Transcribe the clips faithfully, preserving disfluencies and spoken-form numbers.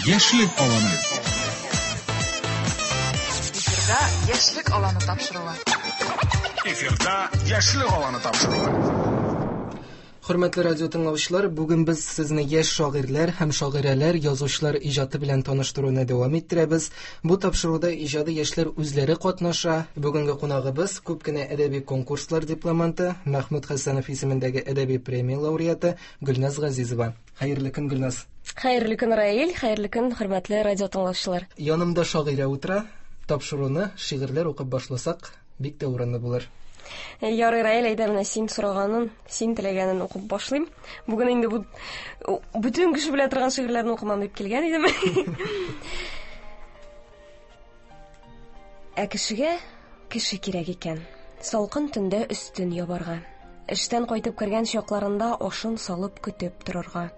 Яшьлек аланы. Эфирда Яшьлек аланы тапшыруы. Эфирда Яшьлек аланы тапшыруы. Хөрмәтле радио тыңлаучылар, бүген без сезне яшь шагыйрьләр һәм шагыйрәләр, язучылар иҗаты белән таныштыруны дәвам иттерәбез. Бу тапшыруда иҗади яшьләр үзләре катнаша. Бүгенге кунагыбыз күп кенә әдәби конкурслар дипломанты, Мәхмүт Хәсәнов исемендәге әдәби премия лауреаты Гөлназ Газизова. Хәерле көн, Гөлназ. Хәерле көн, Раил, хәерле көн, хөрмәтле радио тыңлаучылар. Янымда шагыйрә утыра. Тапшыруны шигырьләр укып башласак, бик тә урынлы булыр. Ярый, Раил, әйдә, менә син сораганын, син теләгәнен укып башлыйм. Бүген инде бу бөтен кеше белә торган шигырьләрне укымам дип килгән идем. Ә кешегә кеше кирәк икән. Салкын төндә өстен ябарга. Эштән кайтып кергән чакларында ашын салып көтеп торырга.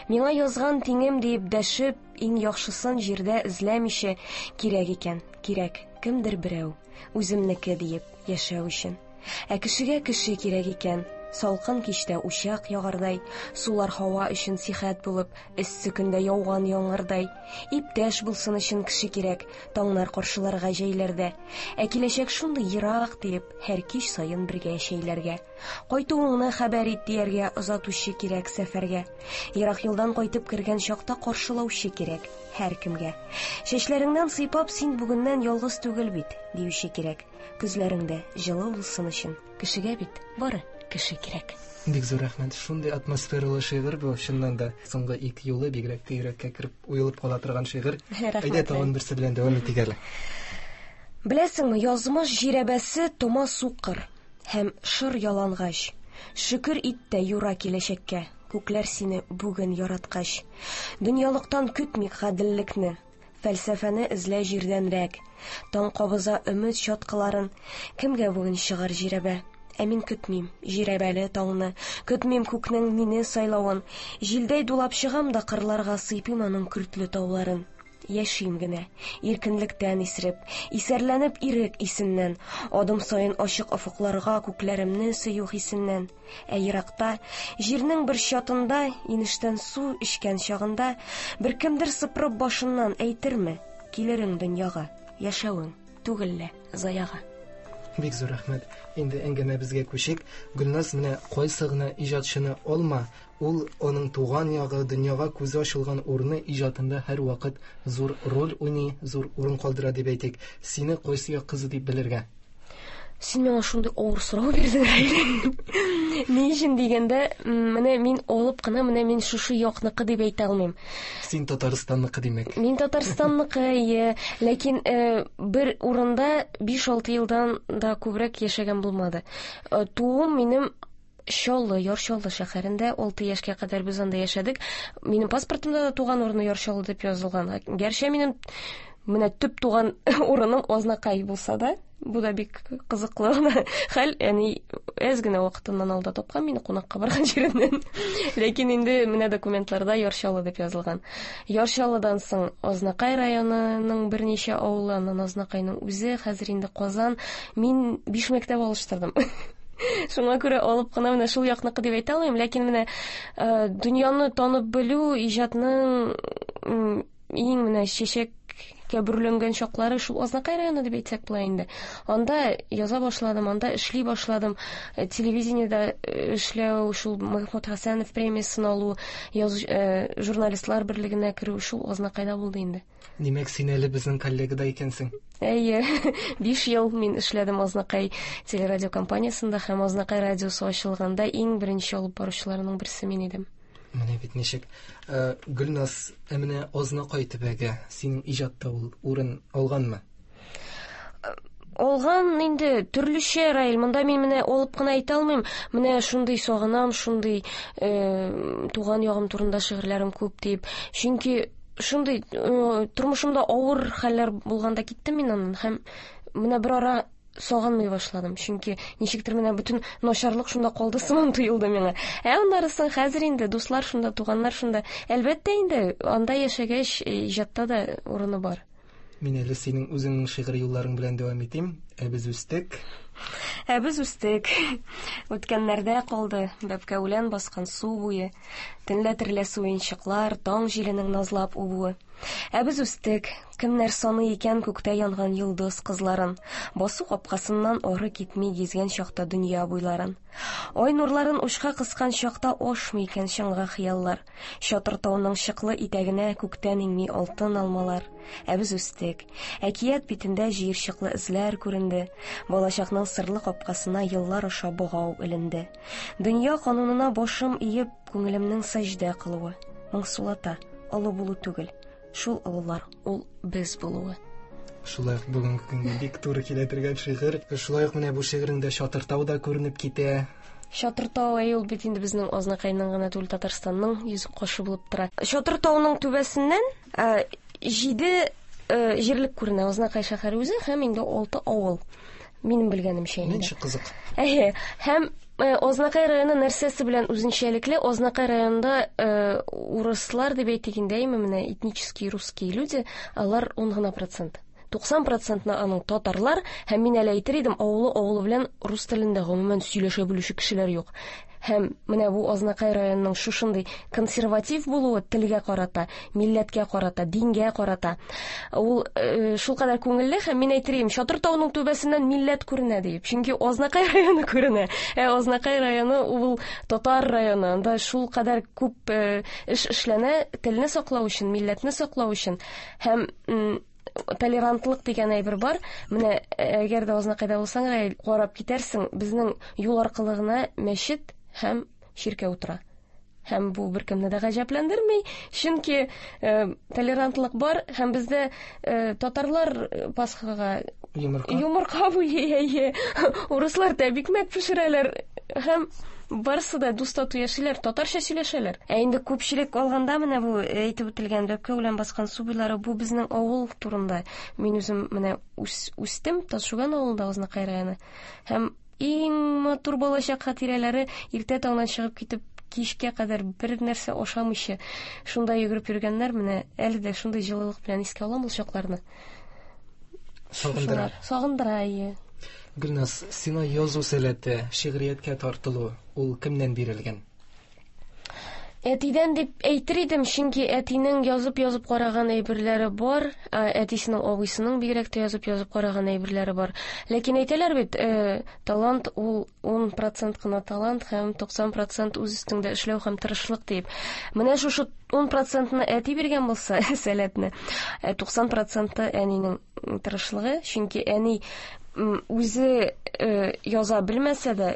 Миңа язган тиңем диеп дәшеп, иң яхшысын җирдә эзләмичә кирәк икән, кирәк, кемдер берәү, үземнеке диеп яшәү өчен. Ә кешегә кеше кирәк икән, салкын кичтә учак ягардай, сулар һава өчен сихәт булып, эссе көндә яуган яңгырдай, иптәш булсын өчен кеше кирәк, таңнар каршыларга җәйләрдә. Ә киләчәк шундый ерак диеп, һәр кич саен бергә чәйләргә. Кайтуыңны хәбәр ит дияргә озатучы кирәк сәфәргә. Ерак юлдан кайтып кергән чакта каршылаучы кирәк һәркемгә. Чәчләреңнән сыйпап син бүгеннән ялгыз түгел бит, диюче кирәк. Күзләреңдә җылы булсын өчен кешегә бит бары кеше кирәк. Бик зур рәхмәт. Шундый атмосфералы шигырь бу, чыннан да. Соңгы ике юлы бигрәк тә йөрәккә кереп уелып кала торган шигырь. Әйдә, тагын берсе белән дәвам итик әле. Беләсеңме, язмыш җирәбәсе тома сукыр һәм шыр ялангач. Шөкер ит тә юра киләчәккә, күкләр сине бүген яраткач. Дөньялыктан көтмик гаделлекне, фәлсәфәне эзлә җирдәнрәк. Таң кабыза өмет чаткыларын, кемгә бүген чыгар җирәбә? Ә мин көтмим җирәбәле таңны, көтмим күкнең мине сайлавын. Җилдәй дулап чыгам да кырларга сыйпыйм аның көртле тауларын. Яшим генә, иркенлектән исереп, исәрләнеп ирек исеннән, адым саен ачык офыкларга күкләремне сөю хисеннән. Ә еракта, җирнең бер чатында, инештән су эчкән чагында, бер кемдер сыпырып башыннан әйтерме, килерең дөньяга, яшәвең түгел лә заяга. Бик зур рәхмәт. Инде әңгәмәбезгә күчик. Гөлназ, менә кайсы гына иҗатчыны алма, ул аның туган ягы, дөньяга күзе ачылган урыны иҗатында һәрвакыт зур роль уйный, зур урын калдыра дип әйтик. Сине кайсы як кызы дип белергә? Син миңа шундый авыр сорау бирдең, Раил. Ни өчен дигәндә, менә мин алып кына, менә мин шушы якныкы дип әйтә алмыйм. Син Татарстанныкы димәк. Мин Татарстанныкы, әйе. Ләкин э, бер урында биш-алты елдан да күбрәк яшәгән булмады. Э, туым минем Чаллы, Яр Чаллы шәһәрендә, алты яшькә кадәр без анда яшәдек. Минем паспортымда да туган урыны Яр Чаллы дип язылган. Гәрчә минем менә төп туган урыным Азнакай булса да, бу да бик кызыклы гына хәл. Әни әз генә вакытыннан алда тапкан мине кунакка барган җиреннән. Ләкин инде менә документларда Яр Чаллы дип язылган. Яр Чаллыдан соң Азнакай районының берничә авылы, аннан Азнакайның үзе, хәзер инде Казан. Мин биш мәктәп алыштырдым. Шуңа күрә алып кына менә шул якныкы дип әйтә алмыйм, ләкин менә, э, дөньяны танып белү, иҗатның, м, иң менә чәчәккә бөреләнгән чаклары шул Азнакай районы дип әйтсәк була инде. Анда яза башладым, анда эшли башладым. Э, телевидениедә эшләү, шул Мәхмүт Хәсәнов премиясен алу, язу, э, журналистлар берлегенә керү шул Азнакайда булды инде. Димәк, син әле безнең коллега да икәнсең. Әйе, биш ел мин эшләдем Азнакай телерадиокомпаниясендә һәм Азнакай радиосы ачылганда иң беренче алып баручыларның берсе мин идем. Менә бит ничек. Э, Гөлназ, ә менә Азнакай төбәге синең иҗатта ул урын алганмы? Алган инде төрлечә, Раил. Монда мин менә алып кына әйтә алмыйм. Менә шундый сагынам, шундый, э, туган ягым турында шигырьләрем күп дип. Чөнки шундый, э, тормышымда авыр хәлләр булганда киттем мин аннан һәм менә бер ара сагынмый башладым. Чөнки ничектер менә бөтен начарлык шунда калды сыман тоелды миңа. Ә аннары соң хәзер инде дуслар шунда, туганнар шунда. Әлбәттә инде анда яшәгәч, иҗатта да урыны бар. Мин әле синең үзеңнең шигырь юлларың белән дәвам итим. Ә без үстек. Ә без үстек. Үткәннәрдә калды бәбкә үлән баскан су буе, төнлә терләсе уенчыклар, таң җиленең назлап үбүе. Ә без үстек. Кемнәр саный икән күктә янган йолдыз кызларын, басу капкасыннан ары китми гизгән чакта дөнья буйларын. Ай нурларын учка кыскан чакта ашмый икән чыңга хыяллар. Чатыр тауның чыклы итәгенә күктән иңми алтын алмалар. Ә без үстек. Әкият битендә җыерчыклы эзләр күренде. Балачакның сырлы капкасына еллар аша богау эленде. Дөнья канунына башым иеп, күңелемнең сәҗдә кылуы. Моңсулата, олы булу түгел. Шул олылар, ул без булуы. Шулай ук бүгенге көнгә бик туры килә торган шигырь. Шулай ук менә бу шигыреңдә Чатыртау да күренеп китә. Чатыртау әй ул бит инде безнең Азнакайның гына түгел, Татарстанның йөзек кашы булып тора. Чатыртауның түбәсеннән җиде җирлек күренә. Азнакай шәһәре үзе һәм инде алты авыл. Минем белгәнемчә инде. Ничек кызык. Әйе, һәм Азнакай районы нәрсәсе белән үзенчәлекле? Азнакай районында урыслар дип әйтик инде, әйме, менә этнические русские люди, алар ун гына процент. Туксан процентны аның татарлар, һәм мин әле әйтер идем, авылы авылы белән рус телендә гомумән сөйләшә белүче кешеләр юк. Һәм менә бу Азнакай районының шушындый консерватив булуы телгә карата, милләткә карата, дингә карата. Ул э, шулкадәр күңелле, һәм мин әйтер идем, Чатыр тауның түбәсеннән милләт күренә диеп. Чөнки Азнакай районы күренә. Ә Азнакай районы ул татар районы. Анда шулкадәр күп э, эш эшләнә телне саклау өчен, милләтне саклау өчен. Һәм толерантлык дигән әйбер бар. Менә әгәр дә Азнакайда булсаң, карап китәрсең, безнең юл аркылы гына мәчет һәм чиркәү утыра. Һәм бу беркемне дә гаҗәпләндерми, чөнки э, толерантлык бар, һәм бездә э, татарлар Пасхага йомырка, йомырка буйый, әйе, урыслар тәбикмәк пешерәләр, һәм барысы да дус тату яшиләр, татарча сөйләшәләр. Ә инде күпчелек алганда менә бу әйтеп үтелгән бәбкә үлән баскан су буйлары, бу безнең авыл турында. Мин үзем менә үс, үстем Ташуган авылында, Азнакай районы. Һәм иң матур балачак хатирәләре иртә таңнан чыгып китеп кичкә кадәр бер нәрсә ашамыйча шунда йөгереп йөргәннәр. Менә әле дә шундый җылылык белән искә алам ул чакларны. Сагындыра. Сагындыра, әйе. Гөлназ, сиңа язу сәләте, шигърияткә тартылу ул кемнән бирелгән? Әтидән дип әйтер идем, чөнки әтинең язып-язып караган әйберләре бар, әтисенең абыйсының бигрәк тә язып-язып караган әйберләре бар. Ләкин әйтәләр бит, э, талант ул ун процент кына талант һәм туксан процент үз өстеңдә эшләү һәм тырышлык дип. Менә шушы ун процентны әти биргән булса, сәләтне, туксан проценты әнинең тырышлыгы, чөнки әни үзе э, яза белмәсә дә,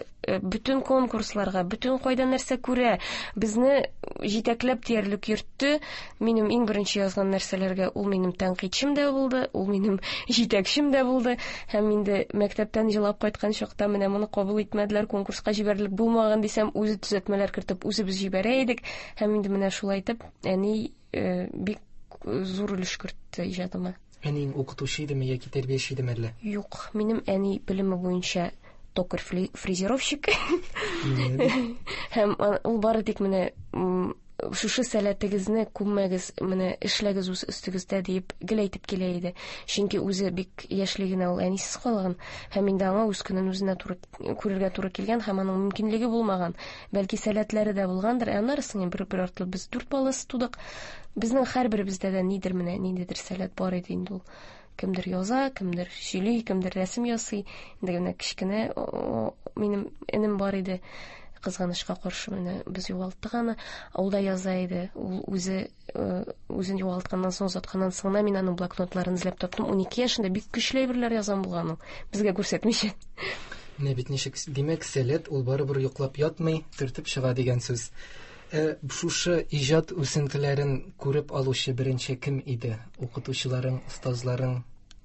бөтен конкурсларга, бөтен кайда нәрсә күрә, безне җитәкләп диярлек йөртте. Минем иң беренче язган нәрсәләргә ул минем тәнкыйтьчем дә булды, ул минем җитәкчем дә булды. Һәм инде мәктәптән җылап кайткан чакта менә моны кабул итмәделәр, конкурска җибәрелеп булмаган дисәм, үзе төзәтмәләр кертеп, үзебез җибәрә идек. Һәм инде менә шулай итеп әни э, бик зур өлеш кертте иҗатыма. Әниең укытучы идеме яки тәрбияче идеме әллә? Юк, минем әни белеме буенча токарь фрезеровщик. Һәм ул бары тик менә шушы сәләтегезне күммәгез, менә эшләгез үз өстегездә диеп гел әйтеп килә иде. Чөнки үзе бик яшьли генә ул әнисез калган, һәм инде аңа үз көнен үзенә туры күрергә туры килгән, һәм аның мөмкинлеге булмаган. Бәлки сәләтләре дә булгандыр. Ә аннары соң бер бер артлы без дүрт баласы тудык. Безнең һәрберебездә дә нидер менә ниндидер сәләт бар иде инде ул. Кемдер яза, кемдер сөйли, кемдер рәсем ясый. Инде менә кечкенә минем энем бар иде. Кызганычка каршы менә без югалттык аны. Ул да яза иде. Ул үзе үзен югалтканнан соң, озатканнан соң мин аның блокнотларын эзләп таптым. Ун ике яшендә бик көчле әйберләр язган булган ул, безгә күрсәтмичә. Менә бит ничек, димәк, сәләт ул барыбер йоклап ятмый, төртеп чыга дигән сүз. Ә шушы иҗат үсентеләрен күреп алучы беренче кем иде? Укытучыларың, остазларың?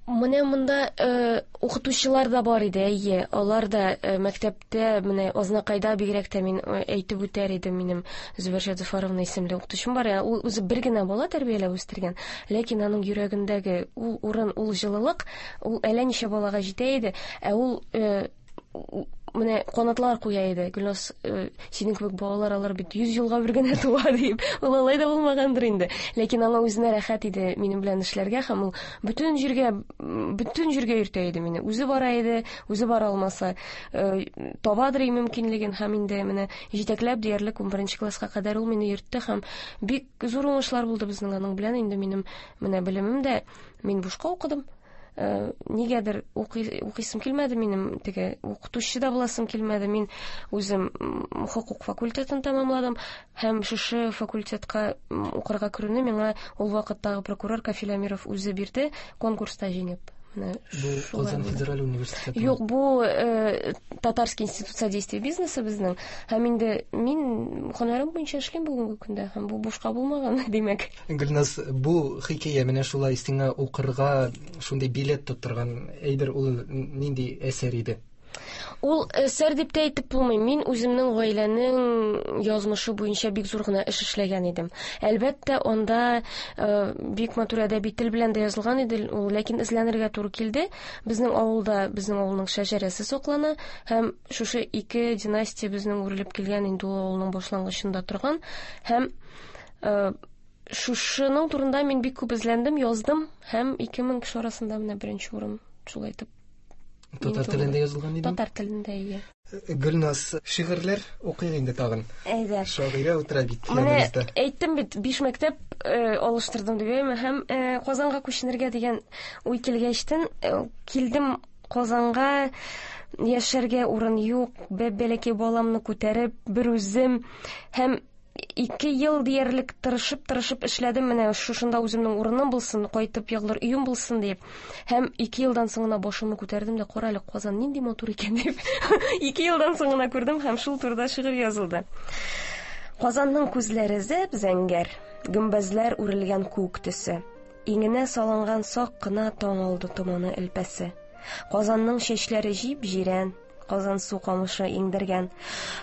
Менә монда э, укытучылар да бар иде, әйе. Алар да э, мәктәптә, менә Азнакайда бигрәк тә мин әйтеп үтәр идем, минем Зөбәрҗә Зөфәровна исемле укытучым бар. Ул үзе бер генә бала тәрбияләп үстергән, ләкин аның йөрәгендәге ул урын, ул җылылык, ул әллә ничә балага җитә иде. Ә ул э, менә канатлар куя иде. Гөлназ, синең кебек балалар алар бит йөз елга бер генә туа дип. Ул алай да булмагандыр инде. Ләкин аңа үзенә рәхәт иде минем белән эшләргә һәм ул бөтен җиргә, бөтен җиргә йөртә иде мине. Үзе бара иде, үзе бара алмаса, табадыр мөмкинлеген һәм инде менә җитәкләп диярлек унберенче класска кадәр ул мине йөртте һәм бик зур уңышлар булды безнең аның белән. Инде минем менә белемем дә мин бушка укыдым. Нигәдер укыйсым килмәде минем, теге укытучы да буласым килмәде. Мин үзем хокук факультетын тәмамладым һәм шушы факультетка укырга керүне миңа ул вакыттагы прокурор Кафил Әмиров үзе бирде, конкурста җиңеп. Менә бу Казан федераль университеты. Юк, бу Татарский институт содействия бизнеса безнең. Һәм инде мин һөнәрем буенча эшлим бүгенге көндә һәм бу бушка булмаган, димәк. Гөлназ, бу хикәя менә шулай сиңа укырга шундый билет тоттырган әйбер ул нинди әсәр иде? Ул әсәр дип тә әйтеп булмый. Мин үземнең гаиләнең язмышы буенча бик зур гына эш эшләгән идем. Әлбәттә, анда бик матур әдәби тел белән дә язылган иде ул, ләкин эзләнергә туры килде. Безнең авылда безнең авылның шәҗәрәсе саклана һәм шушы ике династия безнең үрелеп килгән инде ул авылның башлангычында торган һәм шушының турында мин бик күп эзләндем, яздым һәм ике мең кеше арасында менә беренче урын шулай итеп. Татар телендә язылган иде? Татар телендә, иә. Гөлназ, шигырьләр укыйк инде тагын. Әйдә. Шагыйрә утыра бит Менә яныбызда. әйттем бит, биш мәктәп алыштырдым дип, әйме? Һәм Казанга күченергә дигән уй килгәчтен, килдем Казанга, яшәргә урын юк, бәләкәй баламны күтәреп, бер үзем һәм ике ел диярлек тырышып-тырышып эшләдем, менә шушында үземнең урыным булсын, кайтып егылыр өем булсын дип. Һәм ике елдан соң гына башымны күтәрдем дә, кара әле, Казан нинди матур икән дип. Ике елдан соң гына күрдем һәм шул турыда шигырь язылды. Казанның күзләре зәп-зәңгәр, гөмбәзләр үрелгән күк төсе, иңенә салынган сак кына таң алды томаны элпәсе. Казанның чәчләре җип-җирән, Казан су камышы иңдергән.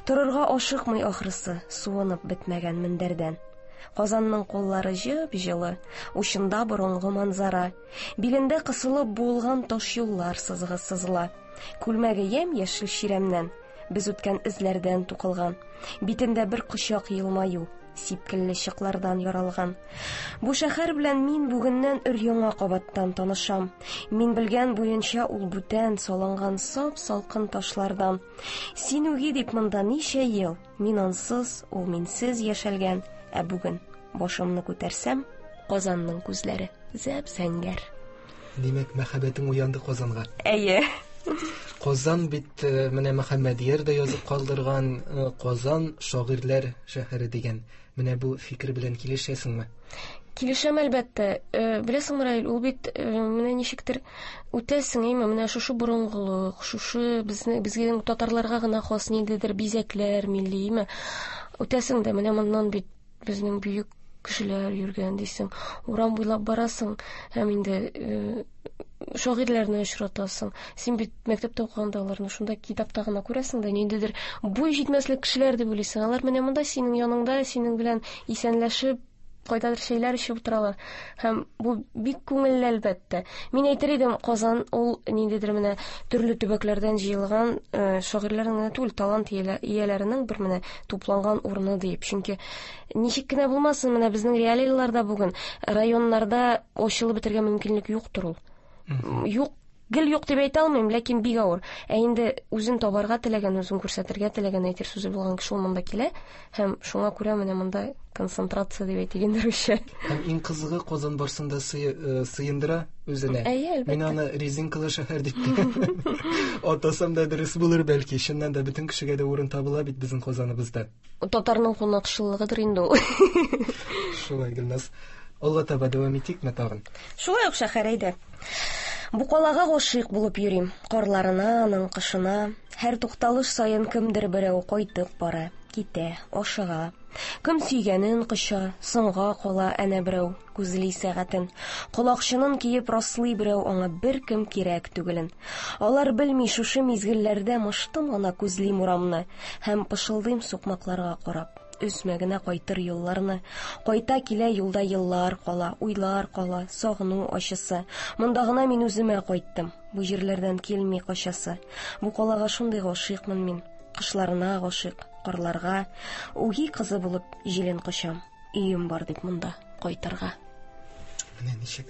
Торырга ашыкмый ахрысы, суынып бетмәгән мендәрдән. Казанның куллары җып-җылы, учында борынгы манзара, билендә кысылып буылган таш юллар сызыгы сызыла. Күлмәге ямь-яшел чирәмнән, без үткән эзләрдән тукылган. Битендә бер кочак елмаю, сипкелле чыклардан яралган. Бу шәһәр белән мин бүгеннән өр-яңа кабаттан танышам. Мин белгән буенча ул бүтән салынган сап-салкын ташлардан. Син үги дип монда ничә ел, мин ансыз, ул минсез яшәлгән. Ә бүген башымны күтәрсәм, Казанның күзләре зәп-зәңгәр. Димәк, мәхәббәтең уянды Казанга. Әйе. Казан бит менә Мөхәммәдияр дә язып калдырган, Казан шагыйрьләр шәһәре дигән. Менә бу фикер белән килешәсеңме? Килешәм, әлбәттә. Беләсеңме, Раил, ул бит менә ничектер үтәсең, әйме, менә шушы борынгылык, шушы безне, безгә татарларга гына хас ниндидер бизәкләр милли, әйме. Үтәсең дә, менә моннан бит безнең бөек кешеләр йөргән дисең. Урам буйлап барасың һәм инде шагыйрьләрне очратасың. Син бит мәктәптә укыганда аларны шунда китапта гына күрәсең дә, ниндидер буй җитмәслек кешеләр дип уйлыйсың. Алар менә монда синең яныңда, синең белән исәнләшеп, кайдадыр чәйләр эчеп утыралар. Һәм бу бик күңелле, әлбәттә. Мин әйтер идем, Казан ул ниндидер менә төрле төбәкләрдән җыелган, шагыйрьләрнең генә түгел, талант ияләренең бер менә тупланган урыны диеп. Чөнки ничек кенә булмасын, менә безнең реалияләрдә бүген районнарда ачылып бетергә мөмкинлек юктыр ул. Юк, гел юк дип әйтә алмыйм, ләкин бик авыр. Ә инде үзен табарга теләгән, үзен күрсәтергә теләгән әйтер сүзе булган кеше ул монда килә һәм шуңа күрә менә монда концентрация дип әйтик инде русча. Һәм иң кызыгы, Казан барсын да сыендыра үзенә. Әйе, әлбәттә. Мин аны резинкалы шәһәр дип атасам да дөрес булыр бәлки. Чыннан да бөтен кешегә дә урын табыла бит безнең Казаныбызда. Татарның кунакчыллыгыдыр инде ул. Шулай, Гөлназ. Алга таба дәвам итикме тагын? Шулай ук шәһәр, әйдә. Бу калага гашыйк булып йөрим. Карларына, аның кышына. Һәр тукталыш саен кемдер берәү кайтып бара, китә, ашыга. Кем сөйгәнен коча, соңга кала әнә берәү, күзли сәгатен. Колакчынын киеп раслый берәү, аңа бер кем кирәк түгелен. Алар белми, шушы мизгелләрдә мыштым гына күзлим урамны һәм пышылдыйм сукмакларга карап. Өзмә генә кайтыр юлларны. Кайта килә юлда еллар кала, уйлар кала, сагыну ачысы. Монда гына мин үземә кайттым. Бу җирләрдән килми качасы. Бу калага шундый гашыйкмын мин. Кышларына гашыйк, карларга. Үги кызы булып җилен кочам. Өем бар дип монда кайтырга. Менә ничек.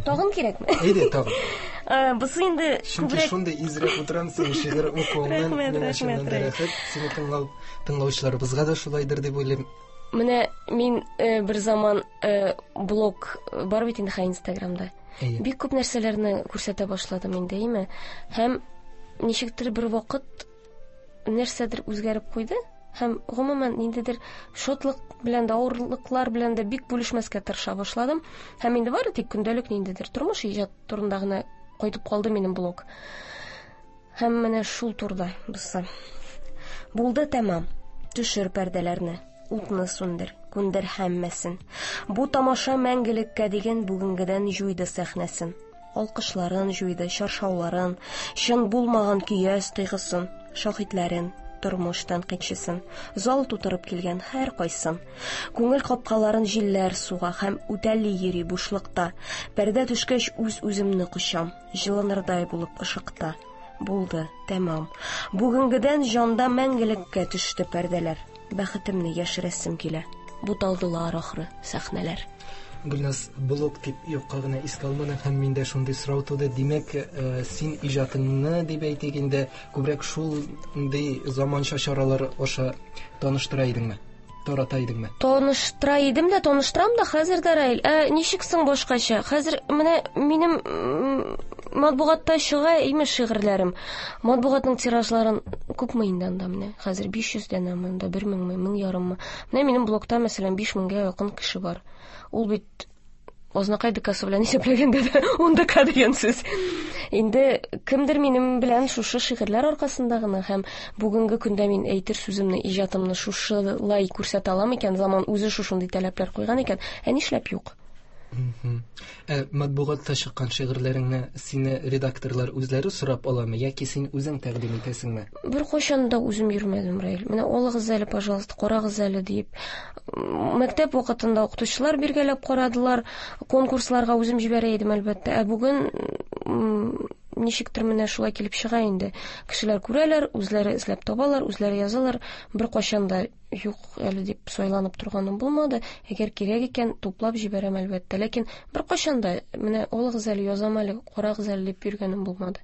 Тагын кирәкме? Әйдә, тагын. Бусы инде Чөнки күбрәк шундый изрәп утырам синең шигырь укуыңнан, Рәхмәт, миңа чыннан рәхмәт, да рәхәт. Сине тыңлау, тыңлаучыларыбызга да шулайдыр дип уйлыйм. Менә мин э, бер заман э, блог бар бит инде хәй Инстаграмда. Әйе. Бик күп нәрсәләрне күрсәтә башладым инде, әйме? Һәм ничектер бер вакыт нәрсәдер үзгәреп куйды. Һәм гомумән ниндидер шатлык белән дә, авырлыклар белән дә бик бүлешмәскә тырыша башладым. Һәм инде бары тик көндәлек ниндидер тормыш, иҗат турында гына кайтып калды минем блог. Һәм менә шул турыда бусы. Булды тәмам. Төшер пәрдәләрне, утны сүндер, күндер һәммәсен. Бу тамаша мәңгелеккә дигән бүгенгедән җуйды сәхнәсен. Алкышларын җуйды, чаршауларын, чын булмаган көяз тойгысын, шаһитләрен, тормыш тәнкыйтьчесен, зал тутырып килгән һәр кайсын. Күңел капкаларын җилләр суга һәм үтәли йөри бушлыкта. Пәрдә төшкәч үз-үземне кочам, җылынырдай булып ышыкта. Булды, тәмам. Бүгенгедән җанда мәңгелеккә төште пәрдәләр. Бәхетемне яшерәсем килә. Буталдылар ахры сәхнәләр. Гөлназ, блог дип юкка гына искә алмадың һәм миндә шундый сорау туды. Димәк, э, син иҗатыңны дип әйтик инде күбрәк шундый заманча чаралар аша таныштыра идеңме? Тарата идеңме? Таныштыра идем дә, таныштырам да хәзер дә, Раил. Ә ничек соң башкача? Хәзер менә минем, м, матбугатта чыга имеш шигырьләрем. Матбугатның тиражларын күпме инде анда менә? Хәзер биш йөз данәме, анда бер меңме, мең ярыммы? Менә минем блогта, мәсәлән, биш меңгә якын кеше бар. Ул бит Азнакай ДКсы белән исәпләгәндә дә ун ДК дигән сүз. Инде кемдер минем белән шушы шигырьләр аркасында гына һәм бүгенге көндә мин әйтер сүземне, иҗатымны шушылай күрсәтә алам икән, заман үзе шушындый таләпләр куйган икән, ә нишләп юк? Мгм. Ә матбугатта чыккан шигырьләреңне сине редакторлар үзләре сорап аламы яки син үзең тәкъдим итәсеңме? Бер кайчан да үзем йөрмәдем, Раил. Менә алыгыз әле, пожалуйста, карагыз әле дип. Мәктәп вакытында укытучылар биргәләп карадылар, конкурсларга үзем җибәрә идем, әлбәттә. Ә бүген, м, ничектер менә шулай килеп чыга инде. Кешеләр күрәләр, үзләре эзләп табалар, үзләре язалар. Бер кайчан да юк әле дип сайланып торганым булмады. Әгәр кирәк икән, туплап җибәрәм, әлбәттә. Ләкин бер кайчан да менә алыгыз әле, язам әле, карагыз әле дип йөргәнем булмады.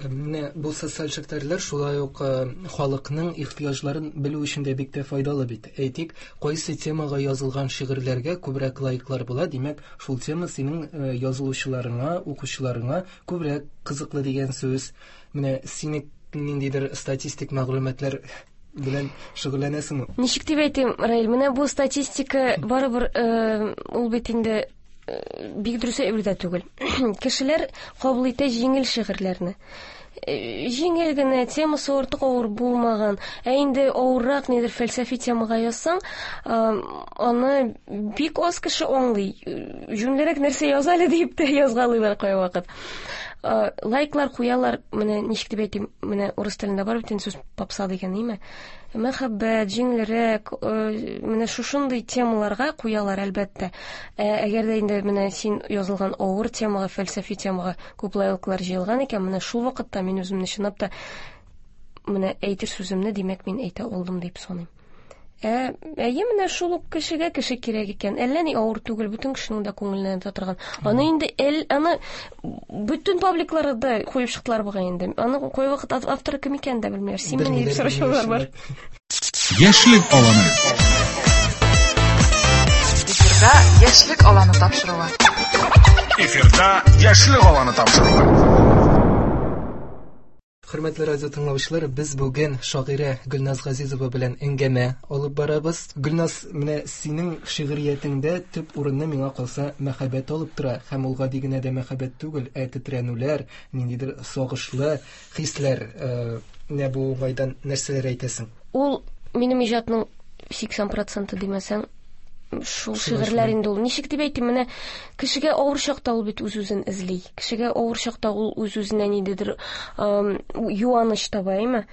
Менә бу социаль челтәрләр шулай ук, э, халыкның ихтыяҗларын белү өчен дә бик тә файдалы бит. Әйтик, кайсы темага язылган шигырьләргә күбрәк лайклар була, димәк, шул тема синең, э, язылучыларыңа, укучыларыңа күбрәк кызыклы дигән сүз. Менә сине ниндидер статистик мәгълүматлар белән шөгыльләнәсеңме? Ничек дип әйтим, Раил, менә бу статистика барыбер, э, ул бит инде, э, бик дөрес әйбер дә түгел. Кешеләр кабул итә җиңел шигырьләрне. Э, җиңел генә, темасы артык авыр булмаган. Ә инде авыррак нидер фәлсәфи темага язсаң, э, аны бик аз кеше аңлый. Э, җүнлерәк нәрсә яз әле дип тә язгалыйлар кайвакыт. Э, лайклар куялар, менә ничек дип әйтим, менә урыс телендә бар бит инде сүз попса дигән, әйме? Мәхәббәт, җиңелрәк, э, менә шушындый темаларга куялар, әлбәттә. Ә әгәр дә инде менә син язылган авыр темага, фәлсәфи темага күп лайклар җыелган икән, менә шул вакытта мин үземне чынлап та менә әйтер сүземне, димәк, мин әйтә алдым дип саныйм. Ә, әйе, менә шул ук кешегә кеше кирәк икән. Әллә ни авыр түгел, бөтен кешенең дә күңеленә ята торган. Аны инде эл, аны бөтен пабликларда куеп чыктылар бугай инде. Аны кайвакыт ав-, авторы кем икәнен дә белмиләр. Син менә дип Белмиләр, сорашалар бар. белмиләр. Яшьлек аланы. Эфирда Яшьлек аланы тапшыруы. Эфирда Яшьлек аланы тапшыруы. Хөрмәтле радио тыңлаучылар, без бүген шагыйрә Гөлназ Газизова белән әңгәмә алып барабыз. Гөлназ, менә синең шигъриятеңдә төп урынны миңа калса мәхәббәт алып тора, һәм ул гади генә дә мәхәббәт түгел, ә тетрәнүләр, ниндидер сагышлы хисләр. Э, менә бу уңайдан нәрсәләр әйтәсең? Ул минем иҗатның сиксән проценты димәсәң, шул Шулай, шигырьләр шулай. инде ул. Ничек дип әйтим, менә кешегә авыр чакта ул бит үз-үзен эзли. Кешегә авыр чакта ул үз-үзенә ниндидер, эм, юаныч таба, әйме?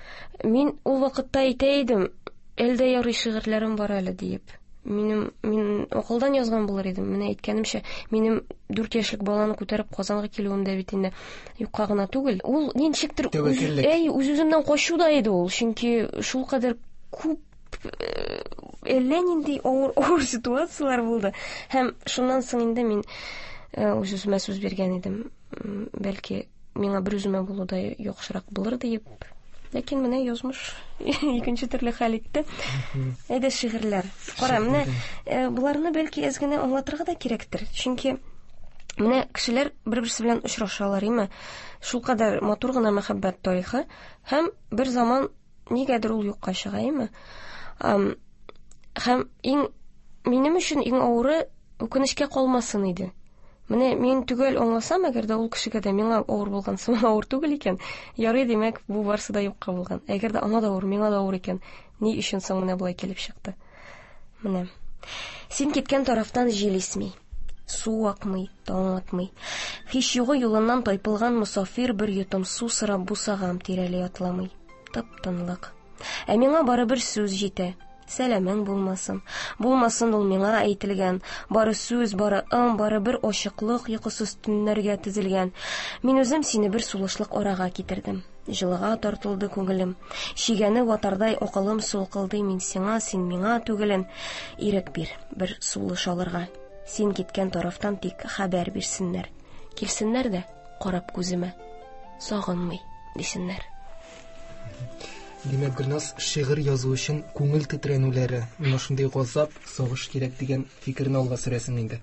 Мин ул вакытта әйтә идем, Әлдә ярый шигырьләрем бар әле диеп. Минем, мин акылдан язган булыр идем. Менә әйткәнемчә, минем дүрт яшьлек баланы күтәреп Казанга килүем дә бит инде юкка гына түгел. Ул ничектер үз, әй, үз-үземнән качу да иде ул. Чөнки шулкадәр күп әллә нинди авыр, авыр ситуацияләр булды. Һәм шуннан соң инде мин үз-үземә сүз биргән идем. Бәлки миңа бер үземә булу да яхшырак булыр диеп. Ләкин менә язмыш икенче төрле хәл итте. Әйдә шигырьләр. Кара, менә боларны бәлки әз генә аңлатырга да кирәктер. Чөнки менә кешеләр бер-берсе белән очрашалар, име? Шулкадәр матур гына мәхәббәт тарихы һәм бер заман нигәдер ул юкка чыга, име? Һәм иң минем өчен иң авыры үкенечкә калмасын иде. Менә мин төгәл аңласам, әгәр дә ул кешегә дә миңа авыр булган сыман авыр түгел икән, ярый, димәк, бу барсы да юкка булган. Әгәр дә аңа да авыр, миңа да авыр икән, ни өчен соң менә болай килеп чыкты? Менә. Син киткән тарафтан җил исми, су акмый, таң атмый. Һич югы юлыннан тайпылган мосафир бер йотым су сорап бусагам тирәли атламый. Тып-тынлык. Ә миңа барыбер сүз җитә. Сәламең булмасын. Булмасын ул миңа әйтелгән. Бары сүз, бары ым, бары бер ачыклык йокысыз төннәргә тезелгән. Мин үзем сине бер сулышлык арага китердем. Җылыга тартылды күңелем. Чигәне ватардай акылым сулкылды. Мин сиңа, син миңа түгелен. Ирек бир, бер сулыш алырга. Син киткән тарафтан тик хәбәр бирсеннәр. Килсеннәр дә карап күземә. Сагынмый дисеннәр. Димәк, Гөлназ, шигырь язу өчен күңел тетрәнүләре, менә шундый газап, сагыш кирәк дигән фикерне алга сөрәсең инде.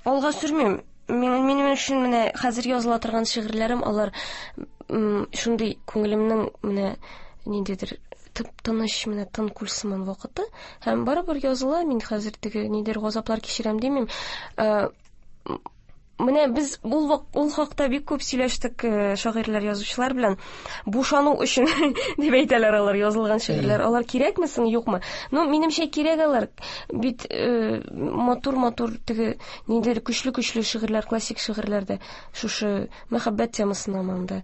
Алга сөрмим. Минем, минем өчен менә хәзер языла торган шигырьләрем, алар шундый күңелемнең менә ниндидер тып-тыныч, менә тын күл сыман вакыты. Һәм барыбер языла, мин хәзер теге нидер газаплар кичерәм димим. Менә без ул, ул хакта бик күп сөйләштек шагыйрьләр, язучылар белән. Бушану өчен дип әйтәләр алар язылган шигырьләр. Алар кирәкме соң, юкмы? Ну, минемчә кирәк алар. Бит матур-матур теге ниндидер көчле-көчле шигырьләр, классик шигырьләр дә шушы мәхәббәт темасына монда.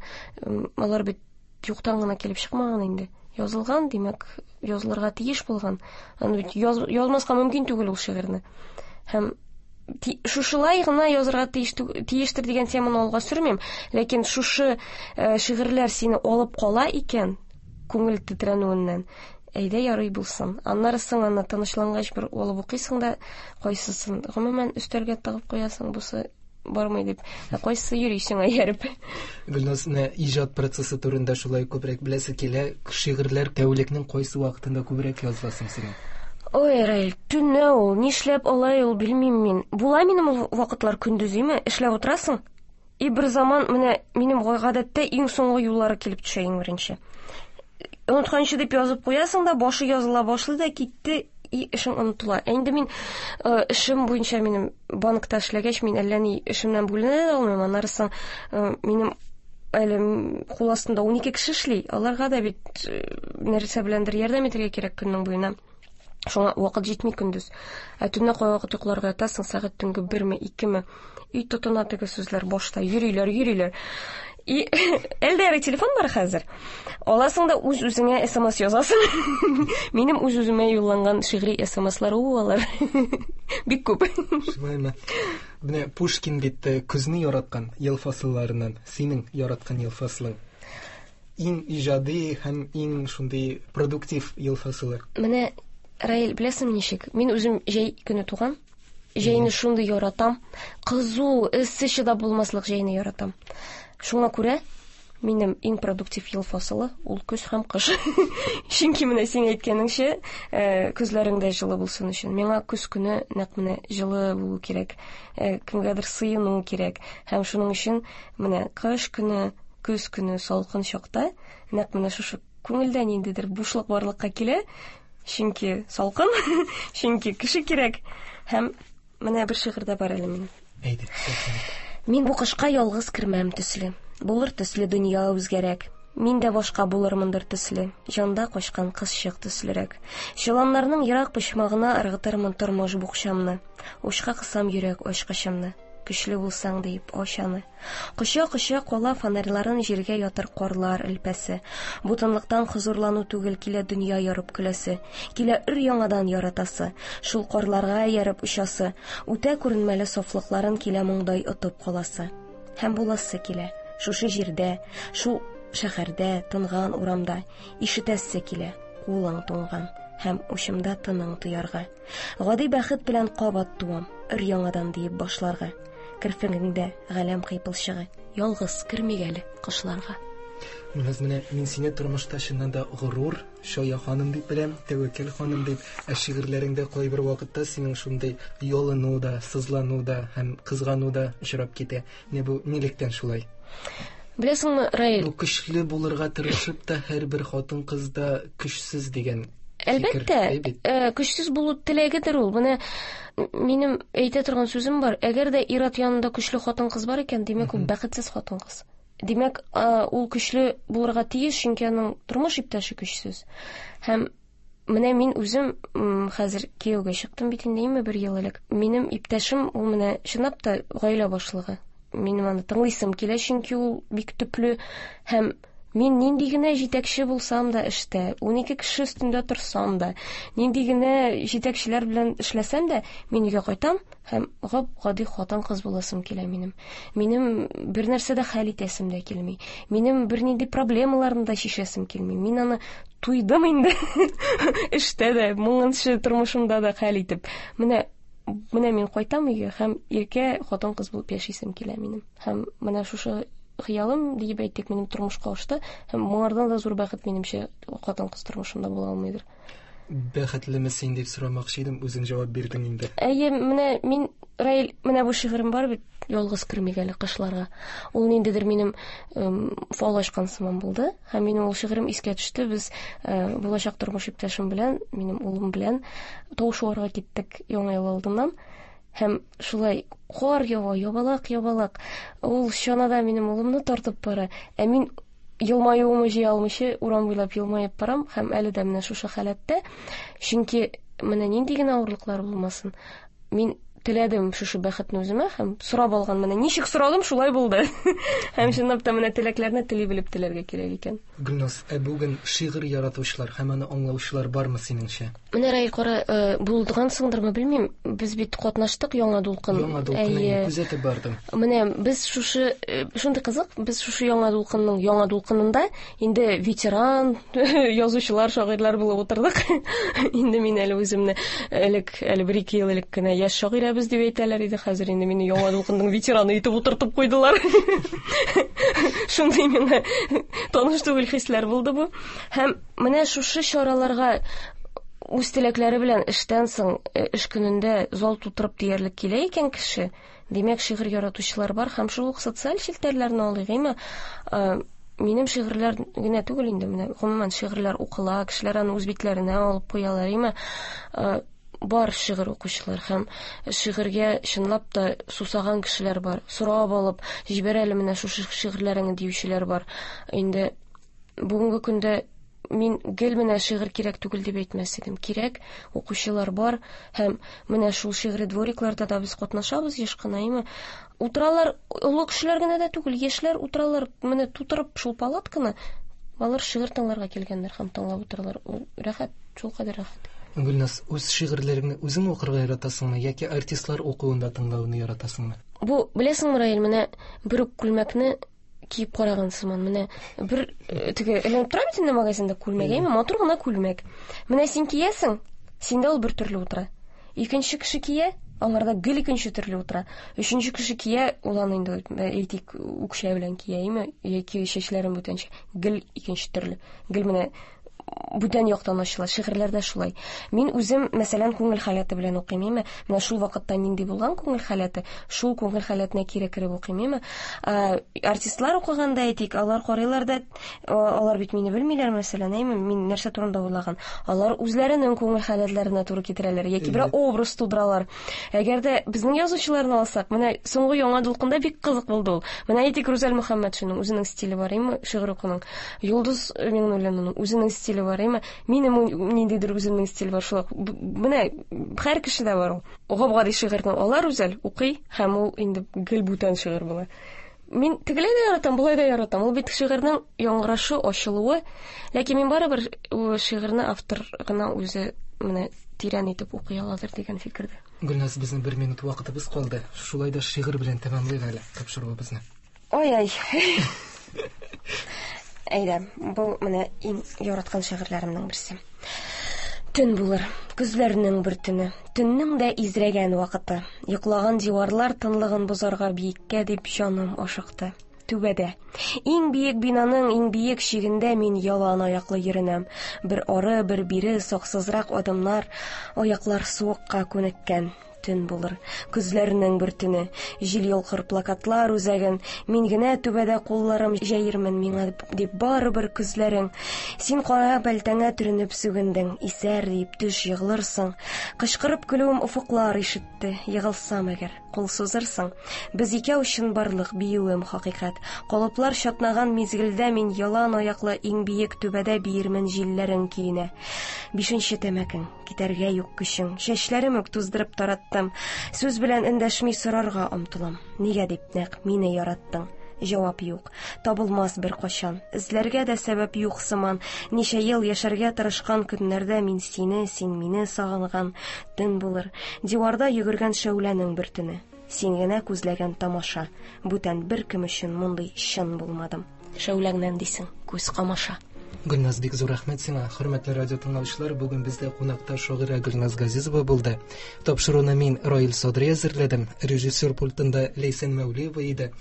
Алар бит юктан гына килеп чыкмаган инде. Язылган, димәк, язылырга тиеш булган. Аны бит яз, язмаска мөмкин түгел ул шигырьне. Һәм шушылай гына язырга тиеш, тиештер дигән теманы алга сөрмим, ләкин шушы шигырьләр сине алып кала икән күңел тетрәнүеннән, әйдә ярый булсын. Аннары соң аны тынычлангач бер алып укыйсың да, кайсысын гомумән өстәлгә тыгып куясың, бусы бармый дип, ә кайсысы йөри сиңа ияреп. Гөлназ, менә иҗат процессы турында шулай күбрәк беләсе килә. Шигырьләр тәүлекнең кайсы вакытында күбрәк языласың синең? Ой, Раил, төнлә ул, нишләп алай ул, белмим мин. Була минем ул вакытлар көндезме, эшләп утырасың. И бер заман менә минем гадәттә иң соңгы юллары килеп төшә иң беренче. Онытканчы дип язып куясың да, башы языла башлый да китте, и эшең онытыла. Ә инде мин эшем буенча минем банкта эшләгәч, мин әллә ни эшемнән бүленә дә алмыйм. Аннары соң минем әле кул астында унике кеше эшли. Аларга да бит нәрсә беләндер ярдәм итәргә кирәк көннең буена. Шуңа вакыт җитми көндез. Ә төнлә кайвакыт йокларга ятасың, сәгать төнге берме, икеме. Өй тотына теге сүзләр башта йөриләр, йөриләр. И әлдә ярый телефон бар хәзер. Аласың да үз-үзеңә эс эм эс язасың. Минем үз-үземә юлланган шигъри эс эм эслар ул алар. Бик күп. Шулаймы? Менә Пушкин бит көзне яраткан ел фасылларыннан, синең яраткан ел фасылың. Иң иҗади һәм иң шундый продуктив ел фасылы. Менә Раил, беләсеңме ничек? Мин үзем җәй көне туган. Җәйне шундый яратам. Кызу, эссе чыдап булмаслык җәйне яратам. Шуңа күрә минем иң продуктив ел фасылы ул көз һәм кыш. Чөнки менә син әйткәнеңчә, көзләрең дә җылы булсын өчен. Миңа көз көне нәкъ менә җылы булу кирәк, кемгәдер сыену кирәк. Һәм шуның өчен менә кыш көне, көз көне салкын чакта нәкъ менә шушы күңелдә ниндидер бушлык барлыкка килә. Чөнки салкын, чөнки кеше кирәк. Һәм менә бер шигырь дә бар әле минем. Әйдә. Мин бу кышка ялгыз кермәм төсле. Булыр төсле дөнья үзгәрәк. Мин дә башка булырмындыр төсле. Җанда качкан кызчык төслерәк. Чоланнарның ерак почмагына ыргытырмын тормыш букчамны. Учка кысам йөрәк ачкычымны. Көчле булсаң диеп ач аны. Коча-коча кала фонарьларын җиргә ятыр карлар элпәсе. Бу тынлыктан хозурлану түгел, килә дөнья ярып көләсе, килә өр яңадан яратасы, шул карларга ияреп очасы, үтә күренмәле сафлыкларын килә моңдай отып каласы. Һәм буласы килә, шушы җирдә, шул шәһәрдә, тынган урамда ишетәсе килә, кулың туңган һәм учымда тының тоярга. Гади бәхет белән кабат туам, өр яңадан диеп башларга. Керфегеңдә галәм кыйпылчыгы, ялгыз кермик әле кышларга. Гөлназ, менә мин сине тормышта чыннан да горур, чая ханым дип беләм, тәвәккәл ханым дип, ә шигырьләреңдә кайбер вакытта синең шундый ялыну да, сызлану да һәм кызгану да очрап китә. Менә бу нилектән шулай? Беләсеңме, Раил? Бу көчле булырга тырышып та һәрбер хатын-кыз да көчсез дигән Әлбәттә, э, көчсез булу теләгедер ул. Менә минем әйтә торган сүзем бар. Әгәр дә ир-ат янында көчле хатын-кыз бар икән, димәк, ул бәхетсез хатын-кыз. Димәк, ул көчле булырга тиеш, чөнки аның тормыш иптәше көчсез. Һәм менә мин үзем хәзер кияүгә чыктым бит инде, инде бер ел элек. Минем иптәшем ул менә чынлап та гаилә башлыгы. Минем аны тыңлыйсым килә, чөнки ул бик төпле һәм мин нинди генә җитәкче булсам да эштә, унике кеше өстендә торсам да, нинди генә җитәкчеләр белән эшләсәм дә, мин өйгә кайтам һәм гап-гади хатын-кыз буласым килә минем. Минем бер нәрсә дә хәл итәсем дә килми. Минем бернинди проблемаларны да чишәсем килми. Мин аны туйдым инде. Эштә дә, моңынчы тормышымда да хәл итеп. Менә менә мин кайтам өйгә һәм иркә хатын-кыз булып яшисем килә минем. Һәм менә шушы хыялым диеп әйтик, минем тормышка ашты. Һәм моңардан да зур бәхет минемчә хатын-кыз тормышында була алмыйдыр. Бәхетлеме син дип сорамакчы идем, үзең җавап бирдең инде. Әйе, менә мин, Раил, менә бу шигырем бар бит, ялгыз кермик әле кышларга. Ул ниндидер минем фал ачкан сыман булды. Һәм минем ул шигырем искә төште. Без булачак тормыш иптәшем белән, минем улым белән тау шуарга киттек яңа ел алдыннан. Һәм шулай кар ява, ябалак, ябалак. Ул чанада минем улымны тартып бара. Ә мин елмаюымны җыя алмыйча урам буйлап елмаеп барам һәм әле дә менә шушы халәттә. Чөнки менә нинди генә авырлыклар булмасын, мин теләдем шушы бәхетне үземә һәм сорап алган, менә ничек сорадым, шулай булды. Һәм чынлап та менә теләкләрне тели белеп теләргә кирәк икән. Гөлназ, ә бүген шигырь яратучылар һәм аны аңлаучылар бармы синеңчә? Менә, Раил, кара, булдыгансыңдырмы, белмим. Без бит катнаштык Яңа дулкын. Яңа дулкынны күзәтеп бардым. Менә без шушы, шундый кызык, без шушы Яңа дулкынның яңа дулкынында инде ветеран язучылар, шагыйрьләр булып утырдык. Инде мин әле үземне элек, әле бер-ике ел элек кенә яшь шагыйрә без дип әйтәләр иде. Хәзер инде мине Яңа дулкынның ветераны итеп утыртып куйдылар. Шундый миңа таныш түгел хисләр булды бу. Һәм менә шушы чараларга үз теләкләре белән эштән соң, эш көнендә зал тутырып диярлек килә икән кеше, димәк, шигырь яратучылар бар. Һәм шул ук социаль челтәрләрне алыйк, әйме? Минем шигырьләр генә түгел инде, менә гомумән шигырьләр укыла, кешеләр аны үз битләренә алып куялар, әйме? Бар шигырь укучылар һәм шигырьгә чынлап та сусаган кешеләр бар. Сорап алып, җибәр әле менә шушы шигырьләреңне диючеләр бар. Инде бүгенге көндә мин гел менә шигырь кирәк түгел дип әйтмәс идем. Кирәк, укучылар бар һәм менә шул шигъри дворикларда да без катнашабыз еш кына, әйме? Утыралар, олы кешеләр генә дә түгел, яшьләр утыралар, менә тутырып шул палатканы, алар шигырь тыңларга килгәннәр һәм тыңлап утыралар. Ул рәхәт, шул кадәр рәхәт. Гөлназ, үз шигырьләреңне үзең укырга яратасыңмы яки артистлар укуында тыңлауны яратасыңмы? Бу, беләсеңме, Раил, менә бер үк күлмәкне киеп караган сыман. Менә бер теге эленеп тора бит инде магазинда күлмәк, әйме, матур гына күлмәк. Менә син киясең, синдә ул бер төрле утыра. Икенче кеше кия, аңарда гел икенче төрле утыра. Өченче кеше кия, ул аны инде әйтик үкчә белән кия, әйме, яки чәчләрен бүтәнчә, гел икенче төрле. Гел менә бүтән яктан ачыла. Шигырьләрдә шулай. Мин үзем, мәсәлән, күңел халәте белән укыйм, әйме? Менә шул вакытта нинди булган күңел халәте, шул күңел халәтенә кире кереп укыйм, әйме? Артистлар укыганда әйтик, алар карыйлар да, алар бит мине белмиләр, мәсәлән, әйме? Мин нәрсә турында уйлаган. Алар үзләренең күңел халәтләренә туры китерәләр яки бер образ тудыралар. Әгәр дә безнең язучыларны алсак, менә соңгы Яңа дулкында бик кызык булды ул. Менә әйтик, Рүзәл Мөхәммәтшинның үзенең стиле бар, әйме, шигырь укуның. Йолдыз Миңнуллинаның үзенең стиле стиле бар, әйме? Минем ниндидер үземнең стиль бар, шулай. Менә һәр кешедә бар ул. Гап-гади шигырьне ала Рүзәл, укый һәм ул инде гел бүтән шигырь була. Мин тегеләй дә яратам, болай да яратам. Ул бит шигырьнең яңгырашы, ачылуы. Ләкин мин барыбер шигырьне автор гына үзе менә тирән итеп укый аладыр дигән фикердә. Гөлназ, безнең бер минут вакытыбыз калды. Шулай да шигырь белән тәмамлыйк әле тапшыруыбызны. Ой-ай. Әйдә, бу менә иң яраткан шигырьләремнең берсе. Төн булыр, көзләрнең бер төне, төннең дә изрәгән вакыты. Йоклаган диварлар тынлыгын бозарга биеккә дип җаным ашыкты. Түбәдә. Иң биек бинаның иң биек чигендә мин ялан аяклы йөренәм. Бер ары, бер бире саксызрак адымнар, аяклар суыкка күнеккән. Төн булыр, көзләрнең бер төне, җил йолкыр плакатлар үзәген, мин генә түбәдә кулларым җәермен миңа дип барыбер күзләрең. Син кара бәлтәңә төренеп сүгендең, исәр дип төш егылырсың. Кычкырып көлүем офыклар ишетте, егылсам әгәр, кул сузырсың. Без икәү өчен барлык биюем хакыйкать. Калыплар чатнаган мизгелдә мин ялан аяклы иң биек түбәдә биермен җилләрең көенә. Бишенче тәмәкең, китәргә юк көчең, чәчләрем үк туздырып тараттым. Сүз белән эндәшми сорарга омтылам. Нигә дип нәкъ мине яраттың? Җавап юк, табылмас бер кашан. Эзләргә дә сәбәп юк сыман. Ничә ел яшәргә тырышкан көннәрдә мин сине, син мине сагынган. Төн булыр, диварда йөгергән шәүләнең бер төне. Син генә күзләгән тамаша. Бүтән бер кем өчен мондый чын булмадым. Шәүләңнән дисең, күз камаша. Гөлназ, бик зур рәхмәт сиңа. Хөрмәтле радио тыңлаучылар, бүген бездә кунакта шагыйрә Гөлназ Газизова булды. Тапшыруны мин, Раил Садри, әзерләдем. Режиссер пультында Ләйсән Мәүлиева иде.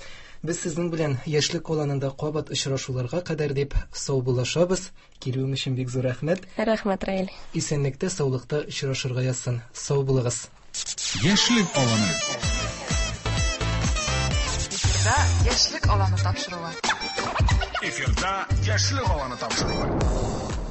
Без сезнең белән Яшьлек аланында кабат очрашуларга кадәр дип саубуллашабыз. Килүең өчен бик зур рәхмәт. Рәхмәт, Раил. Исәнлектә, саулыкта очрашырга язсын. Сау булыгыз. Яшьлек аланы. Эфирда Яшьлек аланы тапшыруы. Эфирда Яшьлек аланы тапшыруы.